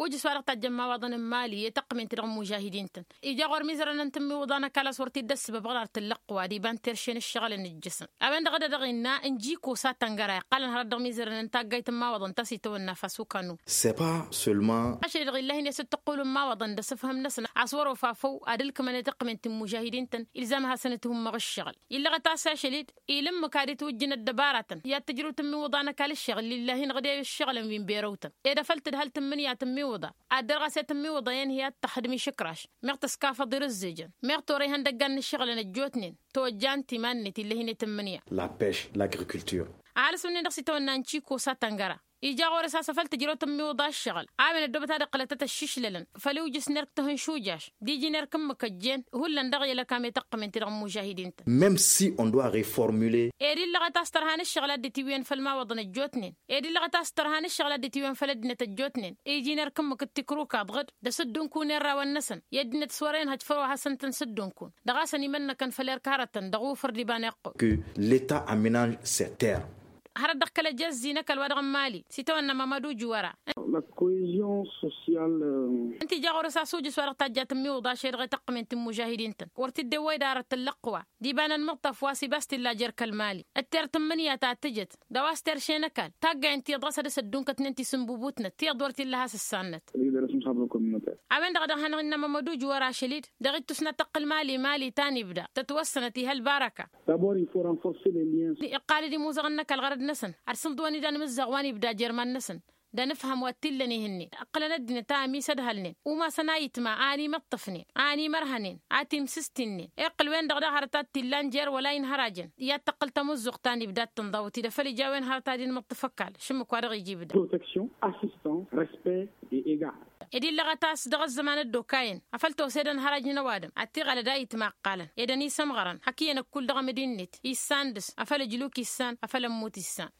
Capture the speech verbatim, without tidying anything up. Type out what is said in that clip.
ujǝs wa dăɣ-tajjăn imawaḍăn n-imali i-tăqqǝmen-ti-dăɣ n-imužahidin-tăn. Ija ɣur-imizărăn n-tǝmmiwǝḍa n-ăkall a-s wăr t-dd-ăssǝbăb ɣur-ar tǝllăqqǝwa d-iba n-terše n-ǝššăɣǝlăn ǝjjǝsăn. A-wen-dăɣ a dăɣ-innă ǝnji-kos a tăngăra iqqalăn hărăt dăɣ-imizărăn n-taggayt n-imawaḍăn ta s-itawănna fasukanun. Săpa seulement. Ašăl-i-dăɣ illăh-in i-asǝttăqqulǝn imawaḍăn d-asǝfhǝm-năsăn a-s wăr-ofa făw ad-ǝlkǝmăn i-tăqqǝmen ti n-imužahidin-tăn ilzam a hasăn-ǝthummăɣ ǝššăɣǝl. Illăɣăt a-s ašăl-i-dd ilǝmmǝk ad-itwǝjjǝn ăddăbaratăn i-ad-tǝjrǝw tǝmmiwǝḍa n-ăkall ǝššăɣǝl lillahi-năɣ d-e-ǝššăɣǝlăn wi n-berăw-tăn. Ed afăl tǝdhăl tǝmmǝnǝya tǝmmiwǝḍa ad-dăr ɣas i-tǝmmiwǝḍa i-ănhǝy ad-tăxdǝm išǝkraš. Meɣ tăskafăḍ irǝzzejăn meɣ tora ihăndăggan n-ǝššăɣǝlăn ăjjootnen. Tojja n-timan-net illăh-in i-tǝmmǝnǝya. La pêche l'agriculture. Ăhalǝs-wǝnnin dăɣ-s itawănna n-čikos a tăngăra ija ɣur-s a-s afăl tǝjrăw tǝmmiwǝḍa ǝššăɣǝl. A-wen ăddoobăt ad-ǝqqǝlăt ad-tăššišlălăn făll-iwjǝs n-erk tăhǝnšujaš d-iji n-erk ǝmmǝk ăjjeen hullan dăɣ-i ălăkam i-tăqqǝmen-ti-dăɣ n-imužahidin-tăn. Même si on doit reformuler. Ed illăɣăt a-s tărha n-ǝššăɣǝl a dd-itiwǝyăn făll-imawaḍăn ăjjootnen. Ed illăɣăt a-s tărha n-ǝššăɣǝl a dd-itiwǝyăn făll-ăddinăt ăjjootnen iji n-erk ǝmmǝk d-tikruka ăḍɣǝd d-asǝddunkun i-ărrawăn-năsăn i-ăddinăt s-wăr-e-inhăj făll-wa hasăn-tăn-sǝddunkun. Dăɣ-a-săn imănnăkăn făll-erk hărătăn dăɣ-ufǝr d-iba n-iqqul. Que l'etat aménage ses terres. Hărăt dăɣ-kăl-ăjezzi n-ăkall wa dăɣ-n mali s-itawănna mamădu juwăra. La cohésion sociale. Ǝnta ija ɣur-s a-s ujǝs wa dăɣ-tajja tǝmmiwǝḍa ašăl-i-dăɣ i-tăqqǝmen ti n-imužahidin-tăn wăr t-dd-ewwăy d-arăt tǝllăqqǝwa d-iba n-ănmǝṭṭaf wa s-ibas t-illa jer-kăl-mali. Ǝtter tǝmmǝnǝya ta tǝjăt d-a-wa s-terše n-ăkall taggayăn tiyyăḍ ɣas ad-dăr-s ăddunkătnen ti s-ǝnbubutnăt tiyyăḍ wăr t-illa a has-ǝssannăt. A-wen-dăɣ a dăɣ-hanăɣ-innă mămăduj wăr-ašăl-dd dăɣ-ittus n-ad-tăqqǝl mali mali ta n-ibda tătwăssănăt ih' ălbarăka. D'abord il faut renforcer les liens. Iqqal-dd imuzăɣăn n-ăkall ɣărăd-năsăn ad-sǝnḍǝwăn idan imǝzzaɣ wa n-ibda jer-iman-năsăn. D-anǝfhăm wa t-illăn ihǝnnin ǝqqǝlăn ăddinăt a ămisădhălnen umasăn a itma a ănimăṭṭăfnen a ănimărhănen a timsǝstinnen. Iqqǝl-wen-dăɣ daɣ hărăt a t-illan jer-wăla inhărajăn i-ad-tăqqǝl tamǝzzuɣt ta n-ibda d-tǝnḍawăt-i d-afăl ija a-wen hărăt ad-inmǝṭṭǝf ăkall šǝmmǝk wa dăɣ-ija ibda. Protection, assistance, respect et égard. Ed illăɣăt a-s dăɣ-ăzzăman ăddookayăn afăl tosed ănhăraj n-ăwadǝm ad-t-iɣălăd a itma ǝqqalăn ed ănisămɣărăn hak iyyăn ăkkull dăɣ-amǝdinnet issan dăɣ-s afăl ǝjluk issan afăl ămmut issan.